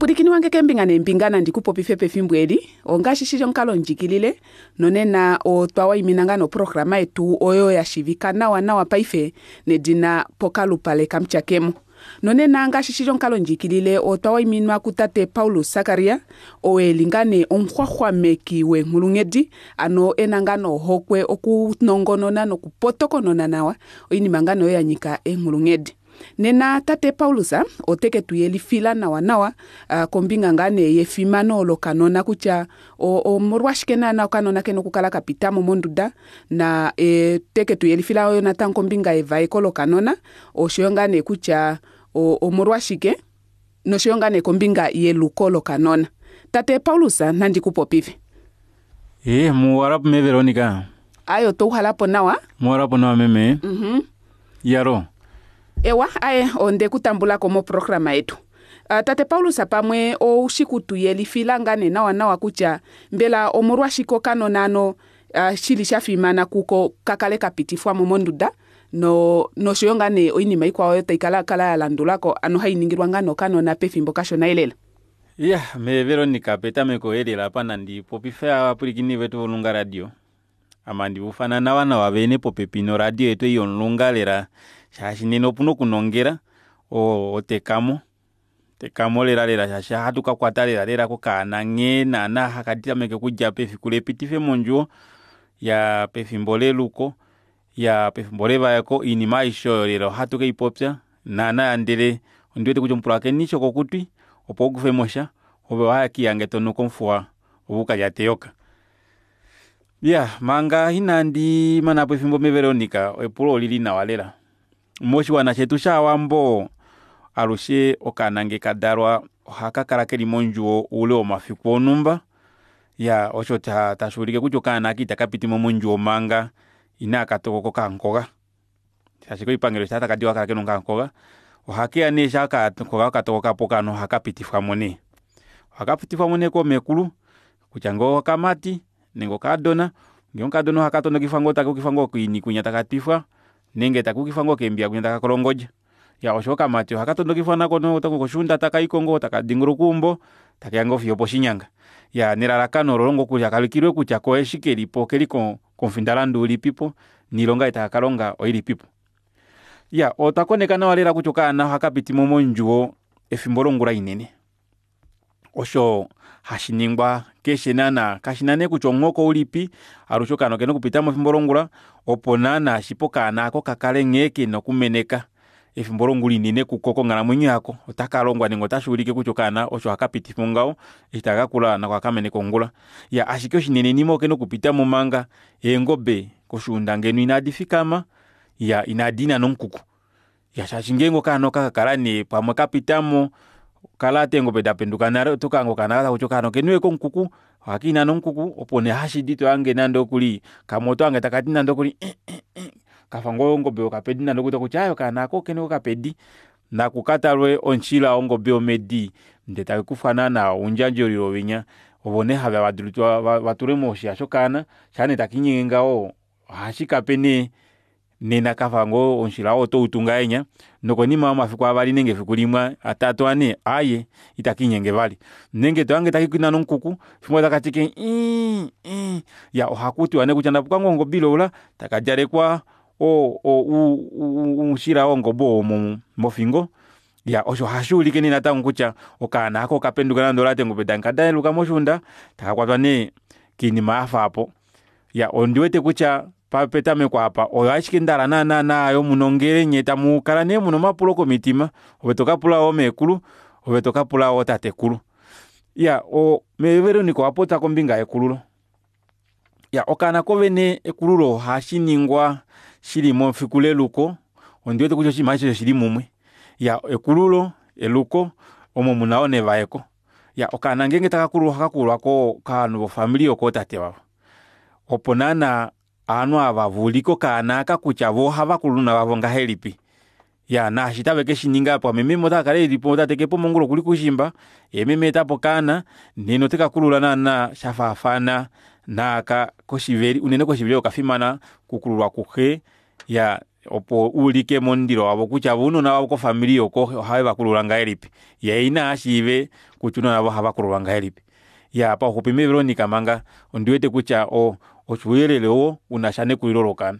Pwilikini wange keembinga neembinga nandi ku popife pefimbo eli, ongaashi shili omukalo ndjikilile, nonena otwa waimina ngaa noprograma yetu oyo ya shivika nawa nawa paife nedina Pokalupale kaMutyakemo. Nonena ngaashi shili omukalo ndjikilile otwa waiminwa kutate Paulus Sakaria, oo eli ngaa nee omuxwaxwameki weenghulunghedi, ano ena ngaa nee ohokwe okunongonona nokupotokonona nawa oinima ngaa nee oyo yanyika eenghulunghedi. Nena tate Paulus ote ke tu yelifila nawa nawa kombinga ngaa nee yefimano lokanona kutya omolwashike naana okanona kena okukala kapitamo monduda na te ke tu yelifila yoo natango kombinga yevaeko lokanona oshoyo ngaa nee kutya omolwashike noshoyo ngaa nee kombinga yeluko lokanona. Tate Paulus nandi ku popife. Ee, muwalapo me Veronica. Aye otwa uhalapo nawa. Muwalapo nawa meme. Iyalo. Ewa, aye onde ku tambula ko moprograma yetu. Tate Paulus pamwe ou shi ku tu yelifila ngaa nee nawa nawa kutya mbela omolwashike okanona ano shili sha fimana kuko ka kale ka pitifwa mo monduda no noshoyo ngaa nee oinima ikwao oyo tai kala kala ya landulako ano hai ningilwa ngaa nee okanona pefimbo kashona elela. Iya, me Veronica petameko elela apa nandi popife ovapwilikini vetu volunga radio. Ame andi ufana nawa nawa vene popepi noradio yetu ei yomulunga lela shaashi nena opuna okunongela otekamo tekamo lela lela shaashi ohatu kakwata lela lela kokaana nghee naana haka tameke okudja pefiku lepitife mondjuwo ya pefimbo leluko ya pefimbo levaeko oinima aishe oyo lela ohatu keipopya naana ndele ondiwete kutya omupulakeni shokokutwi opo ukufemosha ove ohakiihange tonuka omufuwa ove ukalyate eyoka. Iyaa manga inandi manapo efimbo mee Veronica epulo olili nawa lela. Moshiwana shetu shaawambo alushe okaana ngee kadalwa ohakakala keli mondjuwo oule womafiku onumba iyaa osho tashuulike kutya okaana aaka ita kapitimo mondjuwo manga inakatokoka okamukoga shaashi koipangelo eshi takadi ohakakala kena okamukoga. Ohakeya nee shaa okamukoga katokokapo okaana ohakapitifwamo nee, ohakapitifwamo nee koomekulu kutya ngoo okamati nenge okaadona ngee omukadona ohaka tondokifwa ngoo takayukifwa ngoo koini kwinya taka twifwa nenge takayukifwa ngoo keembiya kwinya taka kolongodja. Iyaa oshoyo okamati ohaka tondokifwa nako koshuunda takaiko ngoo taka dingoloka eumbo takeya ngoo fiyo oposhinyanga. Iyaa nelalakano ololo ngoo kutya kaulikilwe kutya koo eshi kelipo okeli komufindalandu ulipipo noilonga ei taka kalonga oilipipo. Iyaa otwa koneka nawa lela kutya okaana ohakapitimo mondjuwo efimbo longula inene osho hashiningwa keshe naana kashina nee kutya omuhoko ulipi alushe okaana okena okupitamo efimbo longula opo naana shipe okaana aako kakale nghee kena okumeneka efimbo longula inene kuko konghalamwenyo yako otakalongwa nenge otashuulike kutya okaana osho hakapitifwa ngaho eshi taka kakula nako ohakameneke ongula. Iyaa ashike oshinenenima okena okupitamo manga eengobe koshuunda ngeno inadi fikama iya inadiina omukuku iya shaashi ngeenge okaana okakakala nee pamwe kapitamo kalaata eengobe dapenduka nale otokahanga okaana takuti okaana okeniwe komukuku ohakiinana omukuku opo nee hashidi tohange nande okuli kamwe otohange takati nande okuli kafa ngoo ongobe yokapedi nande okuli takuti aaye okaana aako okeniwe kokapedi nakukatalwe omushila wongobe yomedi ndee taikufwa naana oundjadjolilo winya ovo nee haveya vatulwe moshiya shokaana shaa nee takiinyenge ngaho ohashikape nee nena kafa ngoo omushila oo otoutu ngahenya nokonima yomafiku avali nenge efiku limwe atatu anhe aaye itakiinyenge vali nenge tohange takiinane omukuku efimbo limwe otakati ashike iiii ii iyaa ohakutiwa nee kutya napuka ngoo ongobe ilaula taka djalekwa oushila wongobe oo mofingo iyaa osho ohashuulike nee natango kutya okaana aako okapenduka nande olaata eengobe dayeluka moshuunda takakwatwa nee koinima yafa aapo. Iyaa ondiwete kutya petameko aapa oyo ashike ndahala naana naayo munongele nyee tamukala nee muna omapulo komitima ove tokapula yoo meekulu ove tokapula yoo tatekulu. Iyaa mee veronica owapopya kombinga yekululo, iyaa okaana koovene ekululo ohashiningwa shili mefiku leluko ondiwete kutya oshinima aashishe oshili mumwe. Iyaa ekululo, eluko omo muna yoo nevaeko. Iyaa okaana ngeenge takakululwa ohakakululwa kovanhu vofamili yokootate wavo opo naana ovanhu aava vaulike okaana aaka kutya voo ohavakulula ounona vavo ngahelipi. Iyaa naashi tave keshininga pamwe meme otakakala elipo tate kepo mongula okuli koushimba yee meme aetapo okaana nena otekakulula naana shafaafana naaka koshiveli unene koshiveli okafimana okukululwa kuxe iyaa. Opo uulike momundilo wavo kutya ounona vavo kofamili oko ohave vakulula ngahelipi, yee ina ashiive kutya ounona vavo ohava kululwa ngahelipi. Iyaa pauxupi mee Veronica manga ondiwete kutya ouyelele oo unasha nekulilo lokaana.